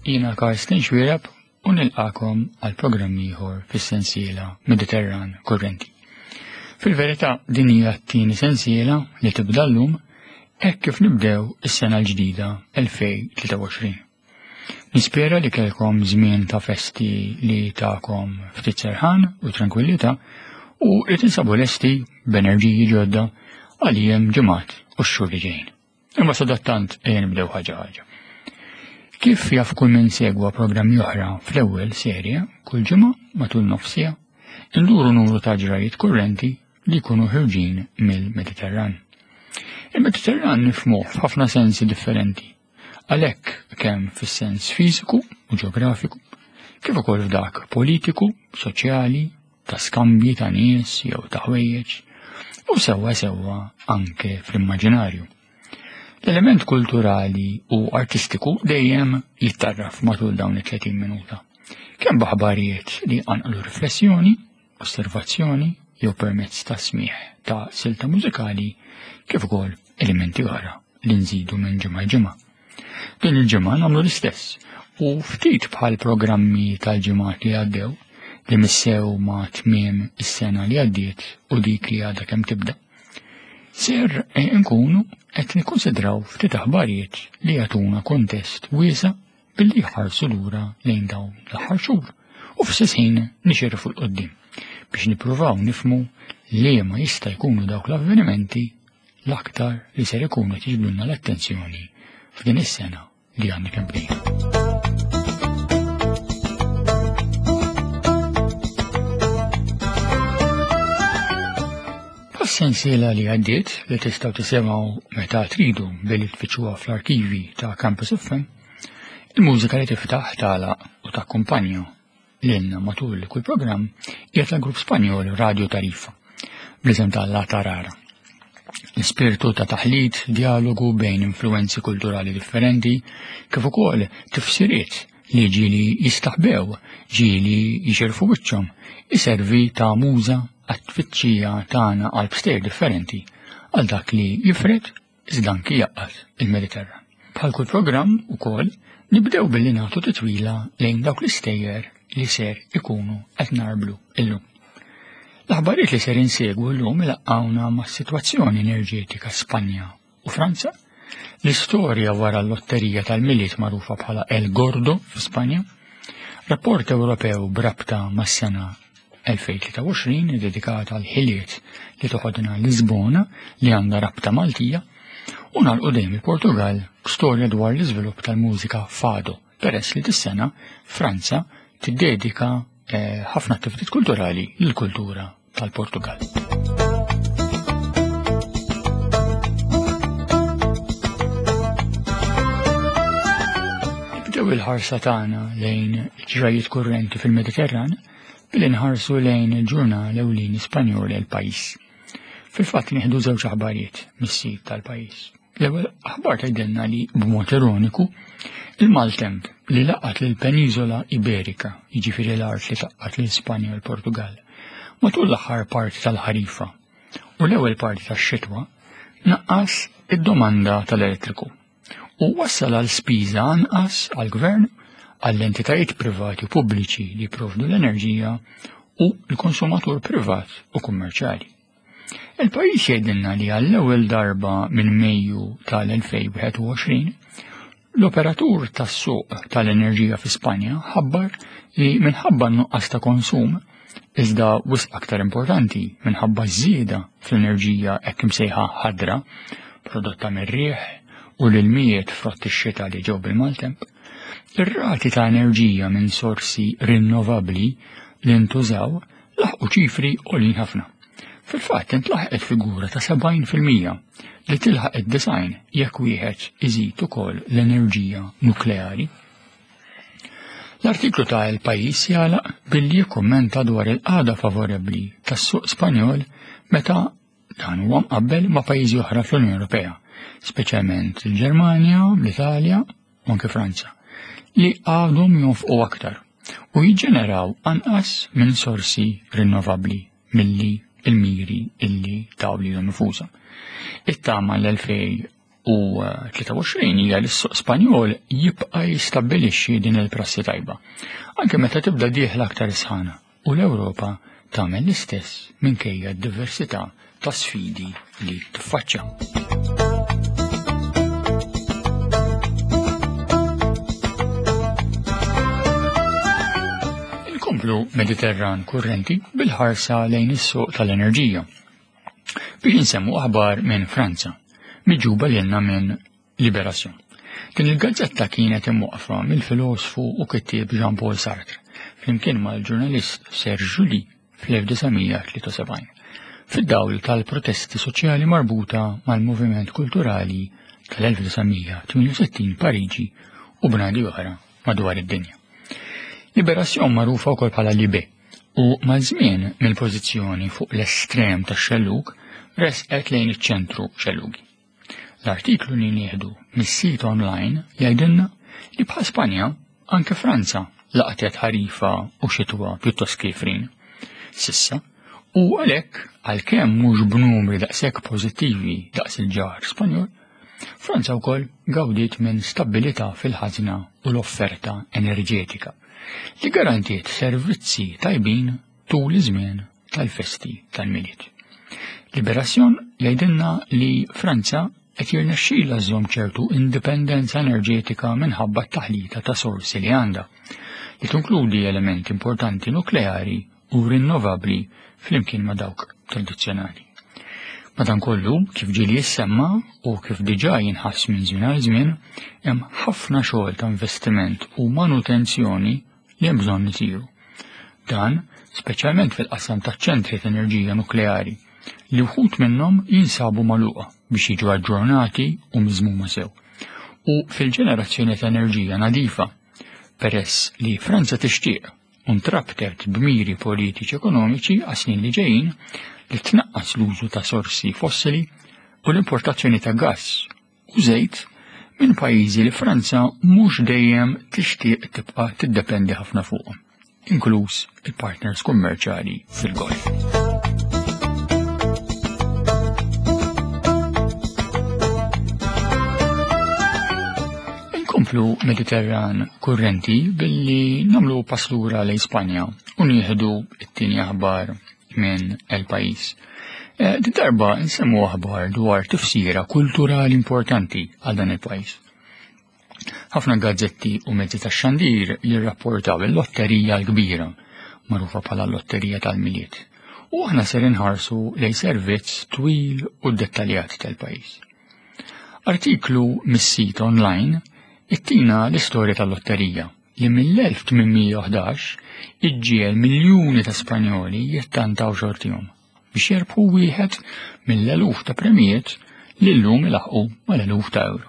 Jiena Karsten Xwireb u nilqakom għal programm ieħor fis-sensiela Mediterran Kurrenti. Fil-verità din hija t-tieni sensiela li tibda llum hekk kif nibdew is-sena l-ġdida 2023. Nispera li kellkom żmien ta' festi li tagħkom ftit serħan u tranquillità u li tinsabu lesti b'enerġiji ġodda għal jiem ġimgħat u x-xhur li ġejjin. Imma sadattant ejja nibdew ħaġa ħaġa. Kif jaf kull min segwa programmi oħra fl-ewwel serje, kull ġimgħa matul nofsija, induru numru ta' ġrajiet kurrenti li jkunu ħirġin mill-Mediterran. Il-Mediterran nifhmuh f'ħafna sensi differenti, għalhekk kemm fis-sens fiżiku u ġeografiku, kif ukoll f'dak politiku, soċjali, ta' skambji ta' nies jew ta' ħwejjeġ, u sewwa sewwa anke fl-immaġinarju. L-element kulturali u artistiku dejjem jittarraf matul dawn it-30 minuta. Kemm b'aħbarijiet li qanqlu riflessjoni, osservazzjoni jew permezz ta' smigħ ta' silta mużikali kif ukoll elementi oħra li nżidu minn ġimgħa ġimgħa. Din il-ġimgħa nagħmlu l-istess u ftit bħal programmi tal-ġimgħat li għaddew li missew ma' tmiem is-sena li għaddiet u dik li għadha kemm tibda. Ser eh, nkunu qed nikkonsidraw ftit aħbarijiet li jagħtuna kontest wiesa' billi jħarsu lura lejn dawn l-aħħar xhur u f'stess ħin nixirfu 'l quddiem biex nippruvaw nifhmu liema jista' jkunu dawk l-avvenimenti l-aktar li ser ikunu qed jiġbdulna l-attenzjoni f'din is-sena li għandna kemm bdejna. Sensiela li għaddiet li tistgħu tisimgħu meta tridu billi tfittxuha fl-arkivi ta' Campus FM, il-mużika li tiftaħ tagħlaq u takkumpanja lilna matul kull programm hija tal-grupp Spanjol Radio Tarifa bl-isem ta' La Tarara. L-ispirtu ta' taħlit, dialogu bejn influenzi kulturali differenti, kif ukoll tifsiriet li ġieli jistaħbew, ġieli jixirfu wiċċhom, iservi ta' muża għat-tfittxija tagħna għal bstejjer differenti għal dak li jifred iżda anki jgħaqqad il-Mediterran. Bħal kull programm ukoll nibdew billi nagħtu titwila lejn dawk l-istejjer li ser ikunu qed narblu illum. L-aħbarijiet li ser insegwu llum ilaqqawna mas-sitwazzjoni enerġetika Spanja u Franza, l-istorja wara l-lotterija tal-Milied magħrufa bħala El Gordo fi Spanja, rapport Ewropew b'rabta mas-sena 2023 dedikata għal ħiliet li toħodna Lisbona li għandha rabta Maltija u nagħlqu dejjem il-Portugal b'storja dwar l-iżvilupp tal-mużika fado peress li dis-sena Franza tiddedika eh, ħafna attivitajiet kulturali lill-kultura tal-Portugal. Nibdew il-ħarsa tagħna lejn ġrajiet kurrenti fil-Mediterran billi nħarsu lejn il-ġurnal ewlieni Spanjol El Pais. Fil-fatt nieħdu żewġ aħbarijiet mis-sit tal-pajjiż. L-ewwel aħbar tgħidilna li b'mod ironiku il-maltemp li laqat lil peniżola Iberika, jiġifieri l-art li taqqat lil Spanja u l-Portugal, matul l-aħħar parti tal-ħarifa u l-ewwel parti tax-xitwa naqqas id-domanda tal-elettriku u wassal għal spiża anqas għall-gvern, għall-entitajiet privati u pubbliċi li jipprovdu l-enerġija u l-konsumatur privat u kummerċjali. Il-pajjiż jgħidilna li għall-ewwel darba minn Mejju tal-2021 l-operatur tas-suq tal-enerġija fi Spanja ħabbar li minħabba n-nuqqas ta' konsum Iżda wisq aktar importanti, minħabba ż-żieda fl-enerġija hekk imsejħa ħadra, prodotta mir-riħ u l-ilmijiet frott ix-xita li ġew bil-maltemp, ir-rati ta' enerġija minn sorsi rinnovabbli li ntużaw laħqu ċifri għoljin ħafna. Fil-fatt intlaħqet figura ta' 70% li tilħaq id-design jekk wieħed iżid ukoll l-enerġija nukleari. L-artiklu ta' El Pais jagħlaq billi jikkummenta dwar il-qagħda favorebbli tas-suq Spanjol meta dan huwa mqabbel ma' pajjiżi oħra fl-Unjoni Ewropea, speċjalment il-Ġermanja, l-Italja u anke Franza, li għadhom jonfqu aktar u jiġġeneraw anqas minn sorsi rinnovabbli milli il-miri illi taw lilhom infushom. It-tama l-2000. 2023 hija li s-suq Spanjol jibqa' jistabbilixxi din il-prassi tajba, anke meta tibda dieħla aktar sħana u l-Ewropa tagħmel l-istess minkejja d-diversità ta' sfidi li tiffaċċja. Inkomplu Mediterran kurrenti bil-ħarsa lejn is-suq tal-enerġija. Biex insemmu aħbar minn Franza, miġuba lilna minn Libération. Din il-gazzetta kienet imwaqfa mill-filosfu u kittieb Jean-Paul Sartre, flimkien mal-ġurnalist Serge July fl-1973, fid-dawl tal-protesti soċjali marbuta mal-moviment kulturali tal-1968 Pariġi u bnadi oħra madwar id-dinja. Libération magħrufa wkoll bħala Libé u maż-żmien mill-pożizzjoni fuq l-estrem tax-xellug resqet lejn iċ-ċentru xellugi. L-artiklu li nieħdu mis-sit online jgħidilna li bħal Spanja anke Franza laqtet ħarifa u xitwa pjuttost kiefrin. Sissa, u għalhekk għalkemm mhux b'numri daqshekk pożittivi daqs il-ġar Spanjol, Franza wkoll gawdiet minn stabbilità fil-ħażna u l-offerta enerġetika li garantiet servizzi tajbin tul iż-żmien tal-festi tal-Milied. Libération jgħidilna li Franza qed jirnexxilha żżomm ċertu indipendenza enerġetika minħabba t-taħlita ta' sorsi li għandha, li tinkludi elementi importanti nukleari u rinnovabbli flimkien ma' dawk tradizzjonali. Madankollu, kif ġieli jissemma u kif diġà jinħass minn żmien għal żmien, hemm ħafna xogħol ta' investiment u manutenzjoni li hemm bżonn isiru. Dan speċjalment fil-qasam taċ-ċentri ta' enerġija nukleari li wħud minnhom jinsabu magħluqa biex jiġu aġġornati u miżmuma sew. U fil-ġenerazzjoni ta' enerġija nadifa, peress li Franza tixtieq u ntrabtet b'miri politiċi ekonomiċi għas-snin li ġejjin li tnaqqas l-użu ta' sorsi fossili u l-importazzjoni ta' gass u żejt minn pajjiżi li Franza mhux dejjem tixtieq tibqa' tiddependi ħafna fuqhom, inkluż il-partners kummerċjali fil-Golf. Inkomplu Mediterran kurrenti billi namlu pass lura lejn Spanja u nieħdu t-tieni aħbar minn El Pais. Eh, di darba nsemmu aħbar dwar tifsira kulturali importanti għal dan il-pajjiż. Ħafna gazzetti u mezzi tax-xandir jirrapportaw il-lotterija l-kbira, magħrufa bħala l-lotterija tal-Milied. U aħna ser inħarsu lejn servizz twil u dettaljat tal-pajjiż. Artiklu mis-sit online ittina l-istorja tal-lotterija li mill-1811 iġġiegħel miljuni ta' Spanjoli jittantaw xortihom biex jerbħu wieħed mill-eluf ta' premijiet li llum ilaħqu mal-eluf ta' euro.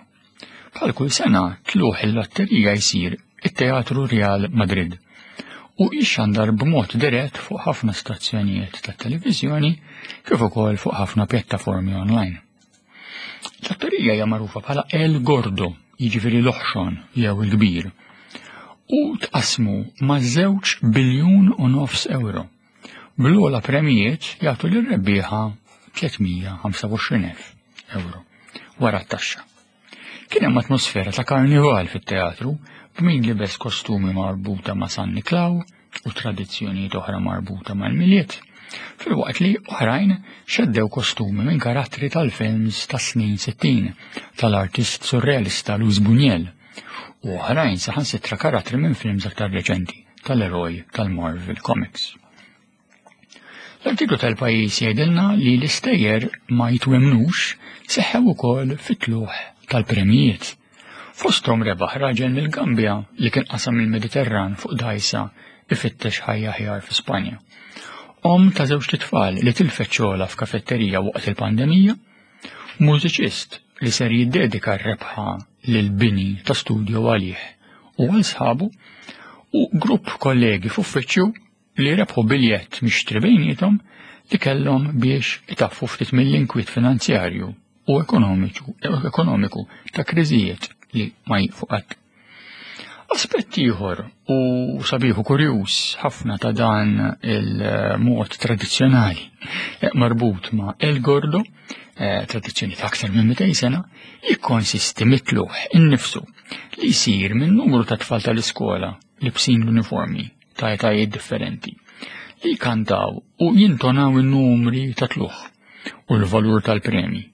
Bħal kull sena tluħ il-lotterija jsir it-Teatru Real Madrid u jixxandar b'mod dirett fuq ħafna stazzjonijiet tat-televiżjoni kif ukoll fuq ħafna pjattaformi online. L-lotterija hija magħrufa bħala El Gordo, jiġifieri l-oħxon jew il-kbir, u tqasmu ma' żewġ biljun u nofs euro. Bl-ogħla premijiet jagħtu lir-rebbieħa 325,000 euro wara t-taxxa. Kien hemm atmosfera ta' karnival fit-teatru b'min libes kostumi marbuta ma' San Niklaw u tradizzjonijiet oħra marbuta mal-Milied, filwaqt li oħrajn xeddew kostumi minn karattri tal-films tas-snin 60 tal-artist surrealista Luis Buñuel u oħrajn saħansitra karattri minn films aktar reċenti tal-eroj tal-Marvel Comics. L-artiklu tal-pajjiż jgħidilna li l-istejjer ma jitwemnux seħħew ukoll fit-tluħ tal-premijiet. Fosthom rebaħ raġel mill-Gambja li kien qasam il-Mediterran fuq dgħajsa ifittex ħajja aħjar fi Spanja. Omm ta' żewġt itfal li tilfet xogħolha f'kafetterija waqt il-pandemija, mużiċist li ser jiddedika r-rebħa lil bini ta' studio għalih u għal sħabu u grupp kollegi f'uffiċċju li rebħu biljett mixtri bejniethom li kellhom biex itaffu ftit mill-inkwiet finanzjarju u ekonomiku ta' kriżijiet li ma jieqfu qatt. Aspett ieħor u sabiħ u kurjuż ħafna ta' dan il-mod tradizzjonali eh, marbut ma' El Gordo, eh, tradizzjoni ta' aktar minn 200 sena, jikkonsisti mitluħ innifsu li jsir minn numru ta' tfal tal-iskola libsin l-uniformi ta' etajiet differenti li jkantaw u jintonaw in-numri ta' tluħ u l-valur tal-premji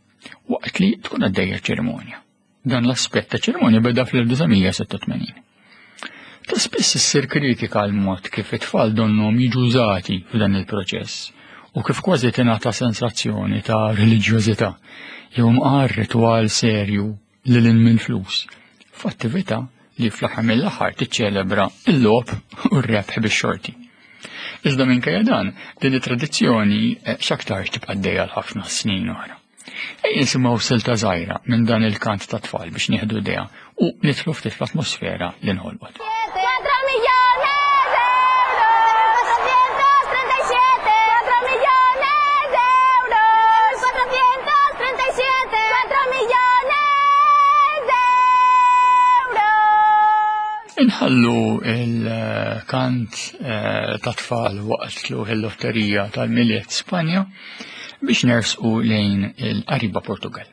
waqt li tkun għaddejja ċerimonja. Dan l-aspett ta' ċerimonja beda fl-1986. Ta' spiss issir kritika għal mod kif it-tfal donnom jiġu użati f'dan il-proċess u kif kważi tingħata sensazzjoni ta' reliġjożità jew mqar ritwal serju lil minn flus f'attività li fl-aħħar mill-aħħar tiċċelebra l-logħob u r-rebħ bix-xorti. Iżda minkejja dan, din it-tradizzjoni eh, x'aktarx tibqa' għaddejja għal ħafna snin oħra. Ejja nisimgħu silta żgħira minn dan il-kant ta' tfal biex nieħdu idea u nidħlu ftit fl-atmosfera li nħolqot. Inħallu il-kant eh, ta' tfal waqt tluħ il-lotterija tal-Milied Spanja biex nersqu lejn il-qariba Portugal.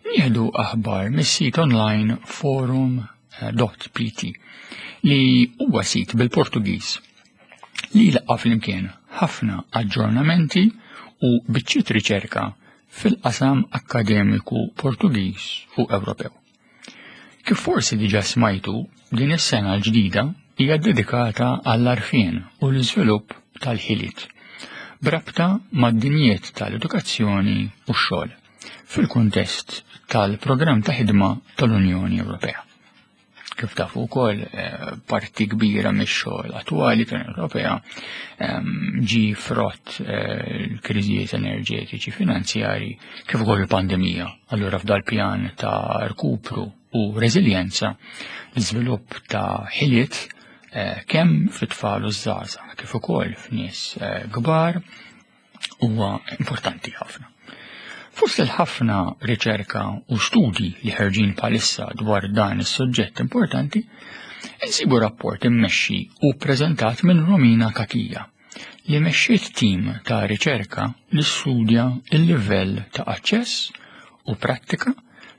Nieħdu aħbar mis-sit online forum.pt li huwa sit bil-Portugiż li jlaqqa' flimkien ħafna aġġornamenti u biċċiet riċerka fil-qasam akkademiku Portugiż u Ewropew. Kif forsi diġà smajtu, din is-sena l-ġdida hija ddedikata għall-għarfien u l-iżvilupp tal-ħiliet b'rabta mad-dinjiet tal-edukazzjoni u x-xogħol fil-kuntest tal-programm ta' ħidma tal-Unjoni Ewropea. Kif tafu wkoll eh, parti kbira mix-xogħol attwali tal-Unjoni Ewropea ehm, ġi frott eh, l-kriżijiet enerġetiċi finanzjari kif ukoll il-pandemija. Allura f'dal pjan ta' rkupru u reżiljenza l-iżvilupp ta' ħiliet eh, kemm fit-tfal u żgħażagħ kif ukoll f'nies kbar huwa importanti ħafna. Fost il-ħafna riċerka u studji li ħerġin palissa dwar dan is-suġġett importanti, insibu rapport immexxi u ppreżentat minn Romina Kakija li mexxiet tim ta' riċerka li studja il-livell ta' aċċess u prattika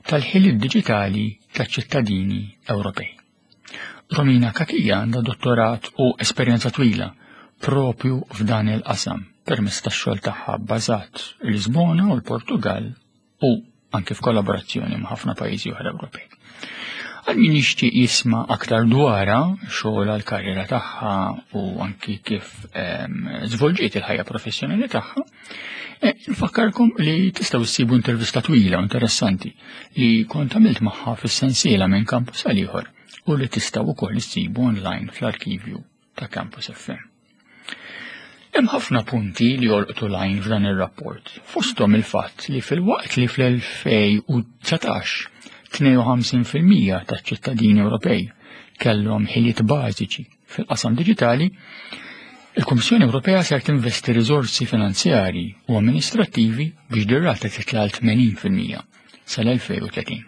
tal-ħiliet diġitali taċ-ċittadini Ewropej. Romina Kakija għandha dottorat u esperjenza twila propju f'dan il-qasam permezz tax-xogħol tagħha bbażat Lisbona u l-Portugal u anke f'kollaborazzjoni ma' ħafna pajjiżi oħra Ewropej. Għal min jixtieq jisma' aktar dwarha, xogħol għal karriera tagħha u anki kif ehm, żvolġiet il-ħajja professjonali tagħha, eh, nfakkarkom li tistgħu ssibu intervista twila u interessanti li kont għamilt magħha fis-sensiela minn kampus għal ieħor u li tistgħu wkoll issibu online fl-arkivju ta' Campus FM. Hemm ħafna punti li jolqtu l-għajn f'dan ir-rapport, fosthom il-fatt li filwaqt li fl-2019 52% taċ-ċittadini Ewropej kellhom ħiliet bażiċi fil-qasam diġitali, il-Kummissjoni Ewropea ser tinvesti riżorsi finanzjarji u amministrattivi biex dir-rata titla' għal 80% sal-2030.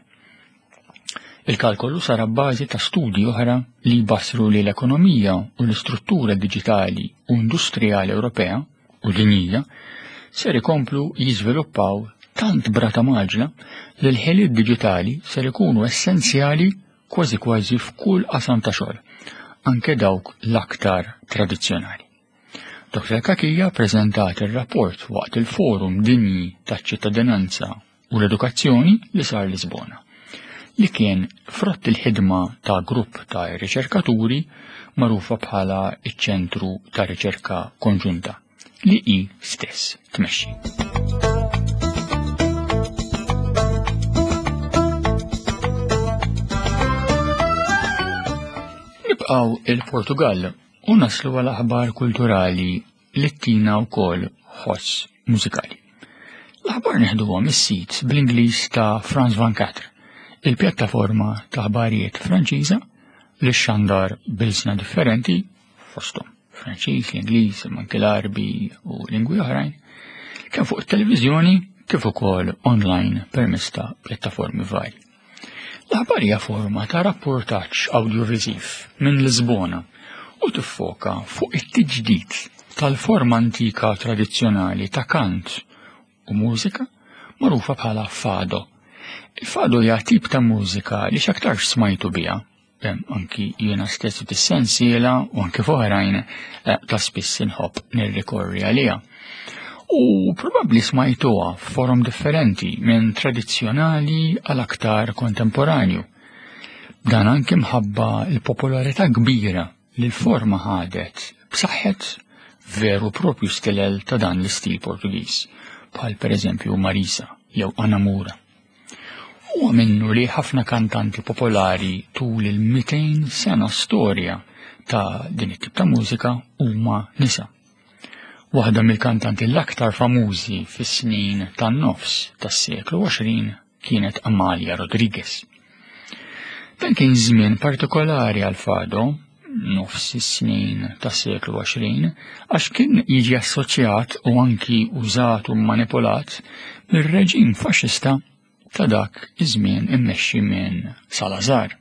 Il-kalkolu sar abbażi ta' studji oħra li jbassru li l-ekonomija u l-istruttura diġitali u industrijali Ewropea u dinjija ser ikomplu jiżviluppaw tant brata maġla li l-ħiliet diġitali ser ikunu essenzjali kważi kważi f'kull qasam ta' xogħol, anke dawk l-aktar tradizzjonali. Dr. Kakija preżentat ir-rapport waqt il-Forum Dinji taċ-Ċittadinanza u l-Edukazzjoni li sar Lisbona, li kien frott il-ħidma ta' grupp ta' riċerkaturi magħrufa bħala iċ-Ċentru ta' Riċerka Konġunta li hi stess tmexxi. Nibqgħu il-Portugal u naslu għal aħbar kulturali li tina wkoll ħoss mużikali. L-aħbar neħduha mis-sit bl-Ingliż ta' France 24, il-pjattaforma ta' aħbarijiet Franċiża li xandar bilsna differenti fosthom Franċiż, l-Ingliż, imma anke l-Arbi u lingwi oħrajn, kemm fuq it-televiżjoni kif ukoll online permezz ta' pjattaformi varji. L-aħbar hija forma ta' rapportaġġ awdjoviżiv minn Lisbona u tiffoka fuq it-tiġdid tal-forma antika tradizzjonali ta' kant u mużika magħrufa bħala fado. Il-fado hija tip ta' mużika li x'aktarx smajtu biha anki jiena stess fis-sensiela u anki f'oħrajn eh, ta' spiss inħobb nirrikorri għaliha. U probabbli smajtuha f'forom differenti minn tradizzjonali għal aktar kontemporanju. Dan anki mħabba l-popolarità kbira li l-forma ħadet b'saħħet veru propju stilel ta' dan l-istil Portugiż, bħal pereżempju Marisa jew Anamura. Huwa minnu li ħafna kantanti popolari tul il-200 sena storja ta' din it-tip ta' mużika huma nisa. Waħda mill-kantanti l-aktar famużi fis-snin tan-nofs tas-seklu 20 kienet Amalia Rodriguez. Dan kien żmien partikolari għal Fado, nofs is-snin tas-seklu 20, għax kien jiġi assoċjat u anki użat u manipulat mir-reġim faxxista ta' dak iż-żmien immexxi minn Salazar.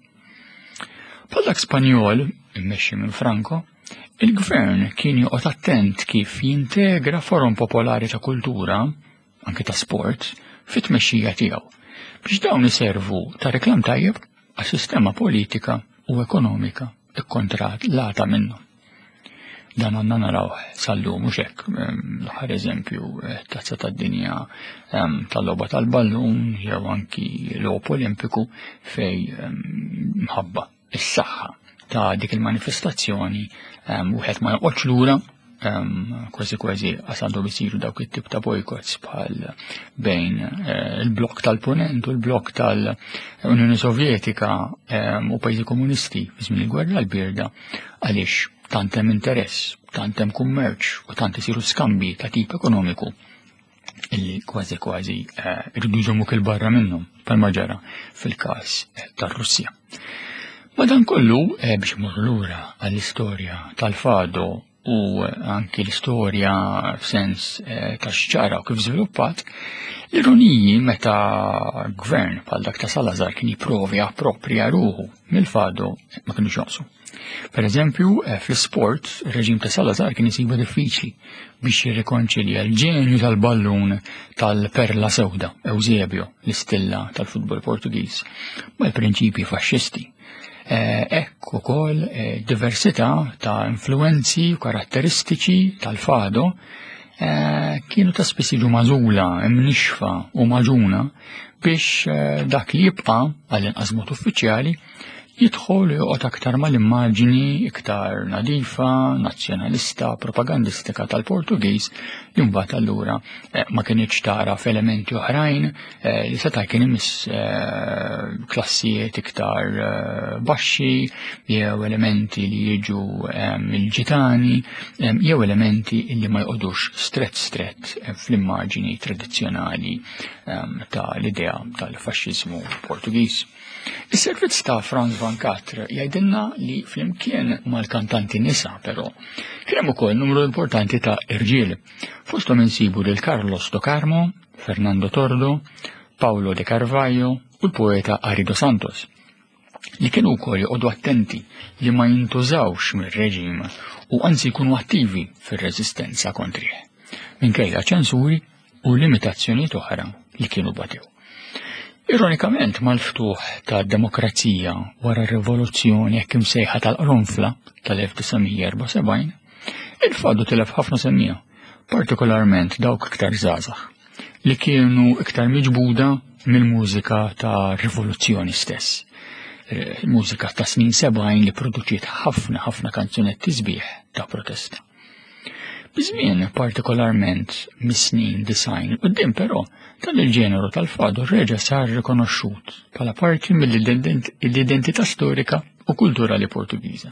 Bħal dak Spanjol, immexxi minn Franco, il-gvern kien joqgħod attent kif jintegra forom popolari ta' kultura, anki ta' sport, fit-tmexxija tiegħu, biex dawn iservu ta' reklam tajjeb għas-sistema politika u ekonomika ikkontrollata minnu. Dan għandna naraw sal-lum mhux hekk l-aħħar eżempju eh, tazza tad-dinja tal-logħba tal-ballun jew anki l-logħob Olimpiku fej mħabba is-saħħa ta' dik il-manifestazzjoni wieħed ma joqgħodx lura kważi kważi għas għandhom isiru dawk it-tip ta' boycotts bħal bejn eh, il-blok tal-Punent u l-blok tal-Unjoni Sovjetika u pajjiżi komunisti fi żmien il-gwerra l-birda għaliex tant hemm interess, tant hemm kummerċ u tant isiru skambi ta' tip ekonomiku illi kważi kważi eh, irridu jżommuk il-barra minnhom bħalma ġara fil-każ eh, tar-Russja. Madankollu eh, biex imorru lura għall-istorja tal-fado u anki l-istorja f'sens ta' xġara u kif żviluppat, l-ironiji meta gvern bħal dak ta' Salazar kien jipprovi approprja ruħu mill-fado ma kienux jonqsu. Per eżempju, eh, fl-sport, ir-reġim ta' Salazar kien isibu diffiċli biex jirrikonċilja l-ġenju tal-ballun tal-perla sewda, Eusebio, l-istilla tal-futbol Portugiż, mal-prinċipji faxxisti. Eh, hekk ukoll eh, diversità ta' influenzi u karatteristiċi tal-fado kienu ta' spiss jiġu magħżula, imnixfa u maġuna biex dak li jibqa' għall-inqas mod uffiċjali jidħol u joqgħod aktar mal-immaġini iktar nadifa, nazzjonalista, propagandistika tal-Portugiż li mbagħad allura eh, ma kinitx tara f'elementi oħrajn eh, li seta' kien imiss eh, klassijiet iktar baxxi jew elementi li jiġu mill-ġitani jew elementi li ma jqogħdux strett strett fl-immaġini tradizzjonali tal-idea tal-faxxiżmu Portugiż. Is-servizz ta' Franz Van Catre jgħidilna li flimkien mal-kantanti nisa però kien hemm ukoll numru importanti ta' irġiel. Fosthom insibu lil Carlos do Carmo, Fernando Tordo, Paulo de Carvalho u l-poeta Arido Santos li kienu wkoll joqogħdu attenti li ma jintużawx mir-reġim u anzi jkunu attivi fir-reżistenza kontrih. Minkejja ċensuri u limitazzjonijiet oħra li kienu batew. Ironikament mal-ftuħ ta' demokrazija wara r-rivoluzzjoni hekk imsejħa tal-qronfla tal-1974, il-fadu tilef ħafna semmija, partikolarment dawk iktar żgħażagħ, li kienu iktar miġbuda mill-mużika ta' rivoluzzjoni stess. Eh, mużika ta' snin 70 li produċiet ħafna ħafna kanzunetti sbieħ ta' protesta. Biż-żmien, partikolarment mis-snin 90 quddiem però, dan il-ġeneru tal-fado reġa' sar rikonoxxut bħala parti mill-identità storika u kulturali Portugiża.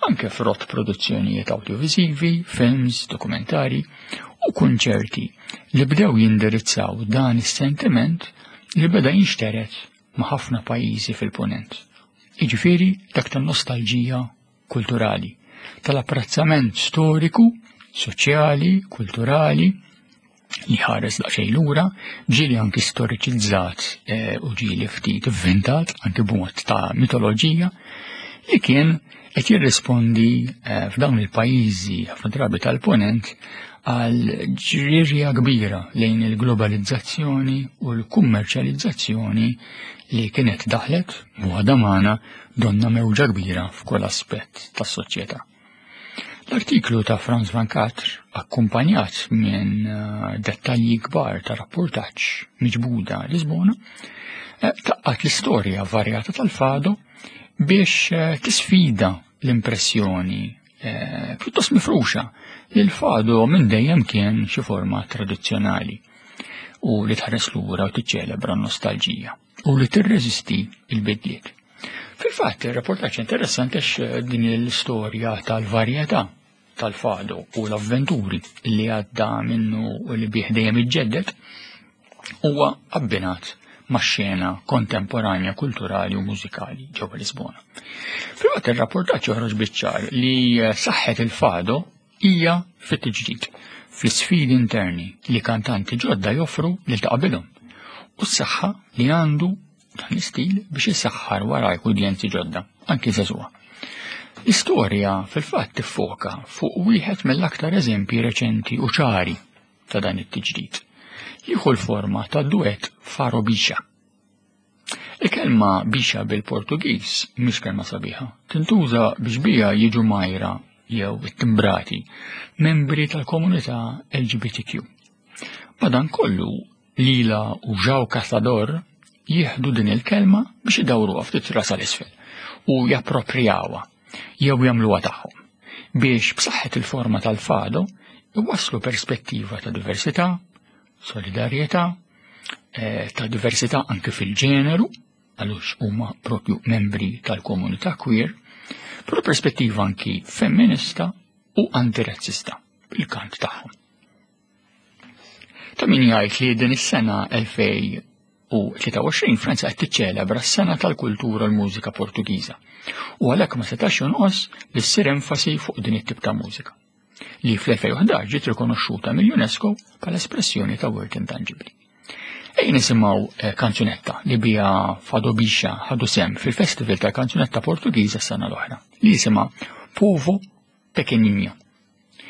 Anke frott produzzjonijiet awdjoviżivi, films, dokumentari u kunċerti li bdew jindirizzaw dan is-sentiment li beda jinxtered ma' ħafna pajjiżi fil-Punent. Jiġifieri dak tan-nostalġija kulturali, tal-apprezzament storiku, soċjali, kulturali li ħares daqsxejn lura, ġieli anki storiċizzat eh, u ġieli ftit ivvintat anki b'mod ta' mitoloġija, li kien qed jirrispondi eh, f'dawn il-pajjiżi ħafna drabi tal-ponent għal ġrirja kbira lejn il-globalizzazzjoni u l-kummerċjalizzazzjoni li kienet daħlet u għadha magħna donna mewġa kbira f'kull aspett tas-soċjetà. L-artiklu ta' Franz Van Katr, akkumpanjat minn eh, dettalji kbar ta' rapportaġġ miġbuda Lisbona, eh, taqqat l-istorja varjata tal-fado biex eh, tisfida l-impressjoni pjuttost mifruxa li l-fado minn dejjem kien xi forma tradizzjonali u li tħares lura u tiċċelebra n-nostalġija u li tirreżisti il-bidliet. Fil-fatt, il-reportaġġ interessanti għax eh, din l-istorja tal-varjetà tal-fado u l-avventuri li għadda minnu u li bih dejjem iġġedded huwa abbinat ma' xena kontemporanja kulturali u mużikali ġewwa Lisbona. Fil-fatt ir-rapportaġġ joħroġ biċ-ċar li eh, saħħet il-fado hija fit-tiġdid, fl-isfidi interni li kantanti ġodda joffru lil ta' qabilhom u s-saħħa li għandu dan l-istil biex isaħħar warajk udjenzi ġodda, anki żagħżugħa. L-istorja fil-fatt tiffoka fuq wieħed mill-aktar eżempji reċenti u ċari ta' dan it-tiġdid. Jieħu l-forma ta' duett Faro Bixa. Il-kelma bixa bil-Portugiż mhix kelma sabiħa. Tintuża biex biha jiġu majra jew ittimbrati membri tal-komunità LGBTQ. Madankollu, Lila u João Caçador jieħdu din il-kelma biex idawruha ftit rasha l-isfel u japproprijawha jew jagħmluha tagħhom biex b'saħħet il-forma tal-fado iwasslu perspettiva ta' diversità, solidarjetà, eh, ta' diversità anke fil-ġeneru, għalux huma propju membri tal-komunità queer, però perspettiva anki femminista u antirazzista bil-kant tagħhom. Ta' min jgħid li din is-sena 2023 Franza qed tiċċelebra s-sena tal-kultura u l-mużika Portugiża u għalhekk ma setax jonqos li ssir enfasi fuq din it-tip ta' mużika li fl-2011 ġiet rikonoxxuta mill-UNESCO bħala espressjoni ta' wirt intanġibbli. Ejja nisimgħu eh, kanzunetta li bija Fado Bixa ħadu sem fil-Festival tal-Kanzunetta Portugiża s-sena l-oħra li jisimha Povo Pequenino.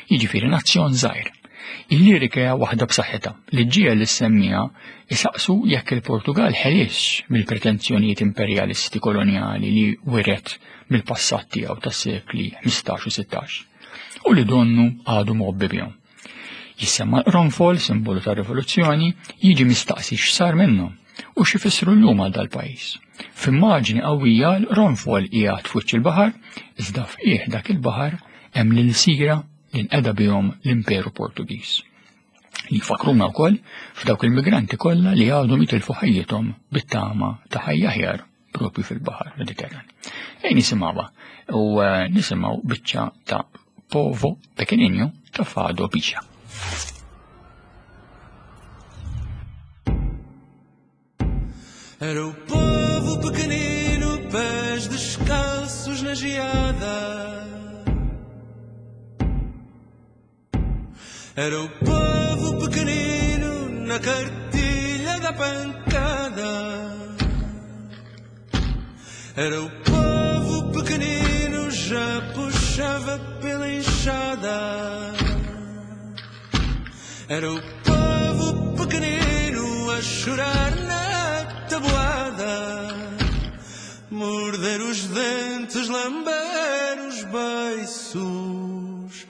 Jiġifieri nazzjon żgħir. Il-lirika hija waħda b'saħħitha li ġġiegħel lis-semmiegħa isaqsu jekk il-Portugal ħelisx mill-pretenzjonijiet imperjalisti kolonjali li wiret mill-passat tiegħu tas-sekli 15 u 16 u li donnu għadu mgħobbi bihom. Jissemma l-qronfol, simbolu tar-rivoluzzjoni, jiġi mistaqsi x'sar minnhom u x'ifissru llum għal dal-pajjiż. F'immaġni qawwija l-qronfol qiegħed f'wiċċ il-baħar, iżda f'qiegħ dak il-baħar hemm l-ilsira li nqeda bihom l-Imperu Portugiż. Li jfakkruna wkoll f'dawk il-migranti kollha li għadhom jitilfu ħajjithom bit-tama ta' ħajja aħjar propju fil-Baħar Mediterran. Ejn nisimgħuha u eh, nisimgħu biċċa ta' Povo Pequenino ta' Fado Biċa. Era o povo pequenino, pés descalços na geada. Era o povo pequenino na cartilha da pancada. Era o povo pequenino, já puxava pela enxada. Era o povo pequenino a chorar na tabuada, morder os dentes, lamber os beiços,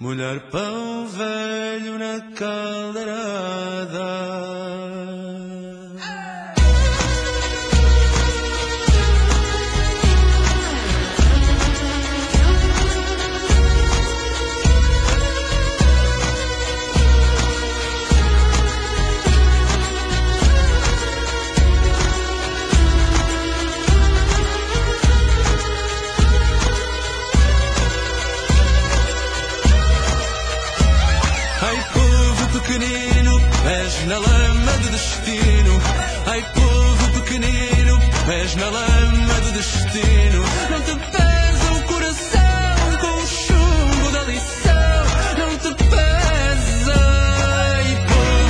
molhar pão velho na caldeirada. Ai, povo pequenino, pés na lama do destino. Ai, povo pequenino, pés na lama do destino. Não te pesa o coração com o chumbo da lição. Não te pesa. Ai, povo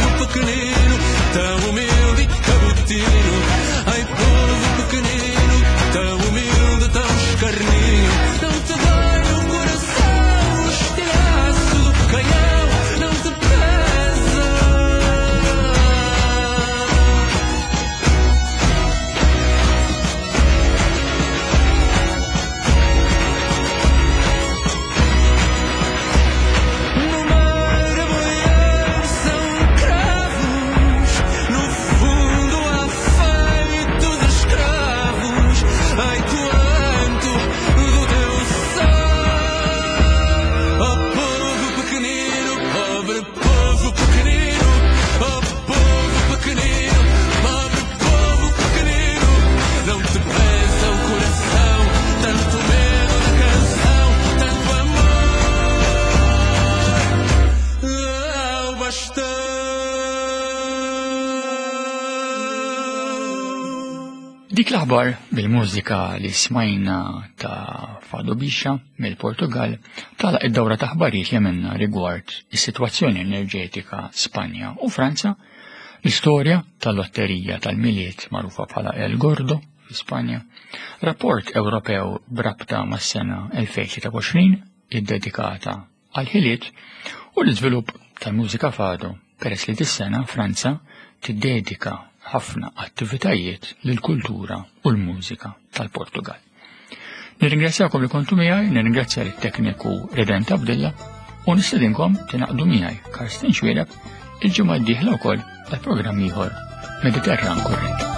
Dik l-aħbar bil-mużika li smajna ta' Fado Bixa mill-Portugal tala id-dawra ta' aħbarijiet li għamilna rigward is-sitwazzjoni enerġetika Spanja u Franza, l-istorja tal-lotterija tal-Milied magħrufa bħala El Gordo fi Spanja, rapport Ewropew b'rabta mas-sena 2023 iddedikata għall-ħiliet u l-iżvilupp tal-mużika fado peress li dis-sena Franza tiddedika ħafna attivitajiet lill-kultura u l-mużika tal-Portugal. Nirringrazzjakom li kontu miegħi, nirringrazzja lit-tekniku Redent Abdilla u nistedinkom tingħaqdu miegħi Karsten Xwiereb il-ġimgħa d-dieħla wkoll għal programm ieħor Mediterran Kurrent.